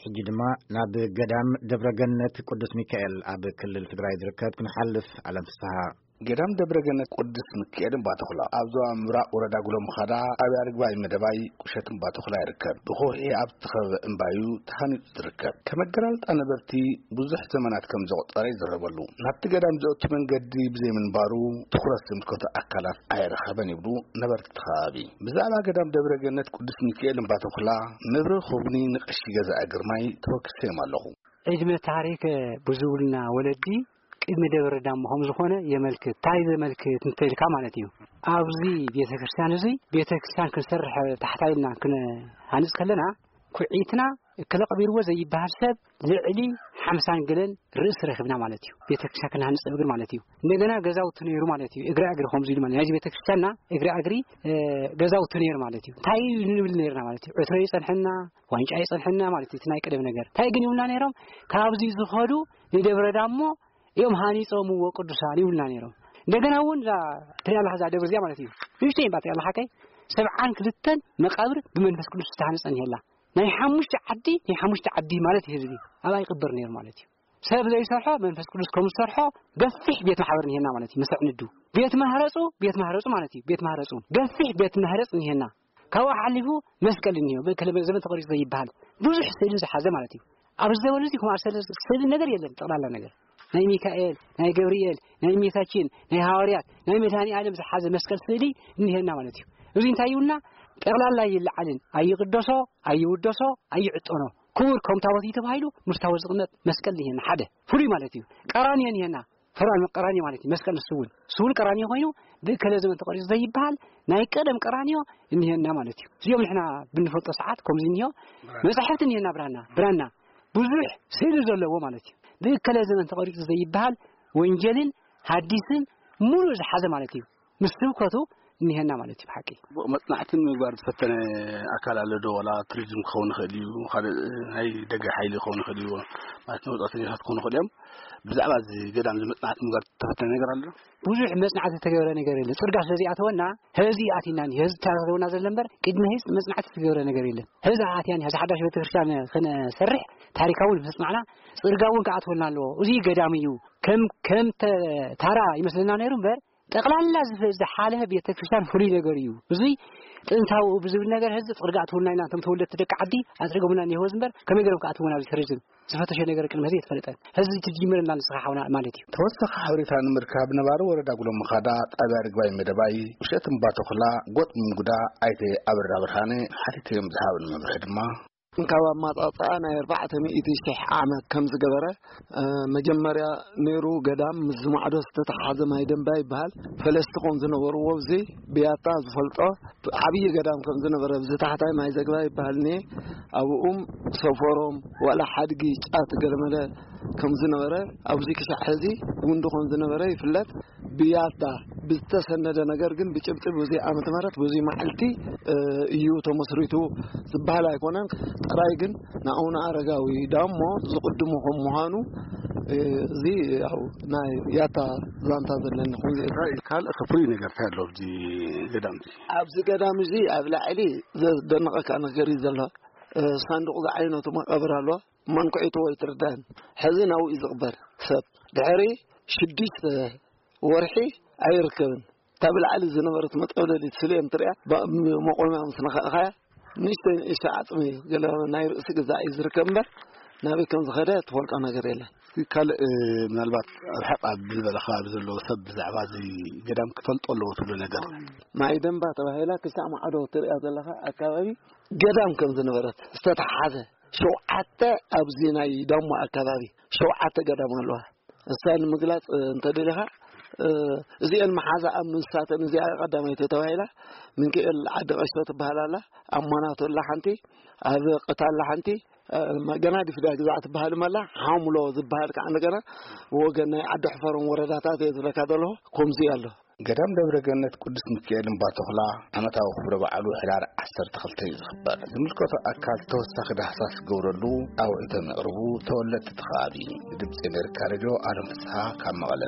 ሕጂ ድማ ናብ ገዳም ደብረ ገነት ቅዱስ ሚካኤል ኣብ ክልል ትግራይ ዝርከብ ክንሓልፍ። ኣለም ፍስሃ። ገዳም ደብረ ገነት ቅዱስ ሚካኤል እምባተኹላ ኣብ ዞባ ምብራቕ ወረዳ ጉሎ ምኻዳ ኣብ ኣርግባይ መደባይ ቁሸት እምባተኹላ ይርከብ። ብኸውሒ ኣብ ዝተኸበበ እምባዩ ተሃኒጹ ዝርከብ። ከም ኣገላልጻ ነበርቲ ብዙሕ ዘመናት ከም ዘቑጸረ ይዝረበሉ። ናብቲ ገዳም ዘእቱ መንገዲ ብዘይምንባሩ ትኹረት ዝምልከቶ ኣካላት ኣይረኸበን ይብሉ ነበርቲ እቲ ከባቢ። ብዛዕባ ገዳም ደብረ ገነት ቅዱስ ሚካኤል እምባተኹላ መብርሂ ክህቡኒ ንቀሺ ገዛኢ ግርማይ ተወኪሰዮም ኣለኹ። ዕድመ ታሪክ ብዙብልና ወለዲ ቅድሚ ደብረ ዳሞ ከም ዝኾነ የመልክት። እንታይ ዘመልክት እንተልካ ማለት እዩ። ኣብዚ ቤተክርስትያን እዚ ቤተክርስትያን ክንሰርሕ ታሕታ ኢልና ክንሃንጽ ከለና ኩዒትና እከለ ቀቢርዎ ዘይበሃል ሰብ ልዕሊ ሓምሳን ገለን ርእሲ ረኺብና ማለት እዩ። ቤተክርስትያን ክንሃንጽ እግር ማለት እዩ። እንደገና ገዛውቲ ነይሩ ማለት እዩ። እግራ እግሪ ከምዚ ኢሉ ማለት ናይዚ ቤተክርስትያንና እግራ እግሪ፣ እ፣ ገዛውቲ ነይሩ ማለት እዩ። እንታይ እዩ ንብል ነይርና ማለት እዩ። ዕትሮ ይጸንሐና፣ ዋንጫ ይጸንሐና ማለት እዩ። እቲ ናይ ቀደም ነገር። እንታይ ግን ይብሉና ነይሮም? ካብዚ ዝኸዱ ንደብረ ዳሞ እዮም ሃኒጾምዎ ቅዱሳን ይብሉና ነይሮም። እንደገና እውን እዛ ትሪኣ ኣለኻ እዛ ደብር እዚኣ ማለት እዩ። ንእሽተይ እምባ ትሪኣ ኣለኻ ከይ ሰብዓን ክልተን መቃብር ብመንፈስ ቅዱስ ዝተሃነጸ እኒሄላ። ናይ ሓሙሽተ ዓዲ፣ ናይ ሓሙሽተ ዓዲ ማለት እዩ ህዝቢ ኣብኣ ይቕበር ነይሩ ማለት እዩ። ሰብ ዘይሰርሖ መንፈስ ቅዱስ ከም ዝሰርሖ ገፊሕ ቤት ማሕበር እኒሄና ማለት እዩ። መሰዕንዱ ቤት ማህረጹ፣ ቤት ማህረጹ ማለት እዩ። ቤት ማህረጹ ገፊሕ ቤት ማህረጽ እኒሄና። ካብኡ ሓሊፉ መስቀል እኒሄ፣ ብክለ ዘመን ተቐሪጹ ዘይበሃል ብዙሕ ስእሊ ዝሓዘ ማለት እዩ። ኣብዚ ዘበን እዚ ከምኣ ስእሊ፣ ስእሊ ነገር የለን። ጠቕላላ ነገር ናይ ሚካኤል፣ ናይ ገብርኤል፣ ናይ እመቤታችን፣ ናይ ሃዋርያት፣ ናይ መድኃኔ ዓለም ዝሓዘ መስቀል ስእሊ እኒሄና ማለት እዩ። እዚ እንታይ ይብልና? ጠቕላላ ይለዓልን ኣይቕደሶ፣ ኣይውደሶ፣ ኣይዕጠኖ፣ ክቡር ከም ታቦት እዩ ተባሂሉ ምስ ታቦት ዝቕመጥ መስቀል እኒሄና ሓደ ፍሉይ ማለት እዩ። ቀራንዮ እኒሄና፣ ፈርዖን ቀራንዮ ማለት እዩ። መስቀል ንሱ እውን፣ ንሱ እውን ቀራንዮ ኮይኑ ብእከለ ዘመን ተቐሪጹ ዘይበሃል ናይ ቀደም ቀራንዮ እኒሄና ማለት እዩ። እዚኦም ንሕና ብንፈልጦ ሰዓት ከምዚ እኒሆ መጻሕፍቲ እኒሄና፣ ብራና፣ ብራና ብዙሕ ስእሊ ዘለዎ ማለት እዩ። ብእከለ ዘመን ተቐሪጹ ዘይበሃል ወንጌልን ሐዲስን ሙሉእ ዝሓዘ ማለት እዩ። ምስ ስብከቱ እኒሄና ማለት እዩ ብሓቂ። መጽናዕቲ ንምግባር ዝፈተነ ኣካል ኣሎ ዶ? ዋላ ቱሪዝም ክኸውን ይኽእል እዩ፣ ካልእ ናይ ደገ ሓይሊ ክኸውን ይኽእል እዩ፣ ማለት ንወጻእተኛታት ክኾኑ ይኽእል እዮም። ብዛዕባ እዚ ገዳም እዚ መጽናዕቲ ምግባር ዝተፈተነ ነገር ኣሎ ዶ? ብዙሕ መጽናዕቲ ዝተገበረ ነገር የለን። ጽርጋ ስለ ዘይኣተወና፣ ህዚ ኣቲና፣ ህዚ ተረኸበና ዘሎ እምበር፣ ቅድሚ ህዚ መጽናዕቲ ዝተገበረ ነገር የለን። ህዚ ኣትያን፣ ህዚ ሓዳሽ ቤተክርስትያን ክነሰርሕ፣ ታሪካዊ መጽናዕና፣ ጽርጋ እውን ክኣትወልና ኣለዎ። እዚ ገዳም እዩ። ከም፣ ከም ተ-፣ ታራ ይመስለና ነይሩ እምበር፣ ጠቕላላ ዝፈ-፣ ዝሓለፈ ቤተክርስትያን ፍሉይ ነገር እዩ። እዙይ ጥንታዊ ብዝብል ነገር ህዚ ጽርጋ ኣትወልና ኢና፣ እቶም ተወለድቲ ደቂ ዓዲ ኣጽሪጎምና እኒሄው እምበር፣ ከመይ ገይሮም ክኣትውና ኣብዚ ቱሪዝም? ዝፈተሸ ነገር ቅድሚ ህዚ ኣይተፈለጠን። ህዚ ትጅምር እና ንስኻ ሓውና ማለት እዩ። ተወሳኺ ሓበሬታ ንምርካብ ነባሪ ወረዳ ጉሎ ምኻዳ ጣብያ ርግባይ መደባይ ውሸት እምባ ተኹላ ጎጥ ምንጉዳ ኣይተ ኣብራ ብርሃነ ሓቲተዮም ዝሃብን መብርሒ ድማ ካብ ኣማጻጽኣ ናይ ኣርባዕተ ሚእቲ ሺሕ ዓመት ከም ዝገበረ፣ እ፣ መጀመርያ ነይሩ ገዳም ምስ ዝማዕዶ ዝተተሓዘ ማይ ደንባ ይበሃል። ፈለስቲ ከም ዝነበርዎ እዚ ብያታ ዝፈልጦ ዓብዪ ገዳም ከም ዝነበረ፣ ብዚ ታሕታይ ማይ ዘግባ ይበሃል እኒሄ። ኣብኡም ሰፈሮም ዋላ ሓድጊ ጫት ገለመለ ከም ዝነበረ፣ ኣብዚ ክሳዕ ሕዚ ጉንዲ ከም ዝነበረ ይፍለጥ። ብያታ ብዝተሰነደ ነገር ግን ብጭብጢ ብዙይ ዓመተ ምህረት ብዙይ መዓልቲ፣ እ፣ እዩ ተመስሪቱ ዝበሃል ኣይኮነን። ጥራይ ግን ንኣቡነ ኣረጋዊ ዳሞ ዝቕድሙ ከም ምዃኑ፣ እ፣ እዚ ያው ናይ ያታ ዛንታ ዘለኒ ኹን ካልእ ፍሉይ ነገር እንታይ ኣሎ ኣብዚ ገዳም እዚ? ኣብዚ ገዳም እዚ ኣብ ላዕሊ ዘደንቐካ ነገር እዩ ዘሎ። እ፣ ሳንዱቕ ዝዓይነቱ መቓብር ኣሎ። መንኩዒቱ ወይ ትርዳን ሕዚ ናብኡ እዩ ዝቕበር ሰብ። ድሕሪ ሽዱሽተ ወርሒ ኣይርከብን። እታ ብላዕሊ ዝነበረት መጠውለሊት ስለ እዮም ትሪኣ፣ ባ-፣ መቆምያ ምስ ነኻእኻያ ንእሽተይ ንእሽተይ ዓጽሚ ገለ ናይ ርእሲ ገዛ እዩ ዝርከብ እምበር ናበይ ከም ዝኸደ ትፈልጦ ነገር የለን። እስኪ ካልእ፣ እ፣ ምናልባት ርሕቕ ኣብ ዝበለ ከባቢ ዘለዉ ሰብ ብዛዕባ እዚ ገዳም ክፈልጦ ኣለዎ ትብሎ ነገር? ማይ ደንባ ተባሂላ ክሳዕ ማዕዶ ትሪኣ ዘለኻ ኣካባቢ ገዳም ከም ዝነበረት ዝተተሓዘ ሸውዓተ ኣብዚ ናይ ዳሞ ኣካባቢ ሸውዓተ ገዳም ኣለዋ። እሳ ንምግላጽ፣ እ፣ እንተደሊኻ፣ እ፣ እዚአን መሓዛ ኣብ ምንሳተን እዚኣ ቀዳመይቲ ተባሂላ፣ ምንክኤል ዓዲ ቀሽቶ ትበሃል ኣላ፣ ኣብ ሞናቶ ኣላ ሓንቲ፣ ኣብ ቅታ ኣላ ሓንቲ፣ እ፣ ገና ዲፍዳ ግዛዕ ትበሃል ኣላ፣ ሓሙሎ ዝበሃል ከዓ እንደገና ብወገን ናይ ዓዲ ሕፈሮም ወረዳታት እየ ዝብለካ ዘለኹ፣ ከምዚ ኣሎ። ገዳም ደብረ ገነት ቅዱስ ሚካኤል እምባ ተኹላ ዓመታዊ ክብረ በዓሉ ሕዳር ዓሰርተ ክልተ እዩ ዝኽበር። ዝምልከቶ ኣካል ተወሳኺ ዳህሳስ ክገብረሉ ኣውዒቶም የቕርቡ ተወለድቲ እቲ ከባቢ። ንድምፂ ኣሜሪካ ሬድዮ ኣለም ፍስሃ ካብ መቐለ።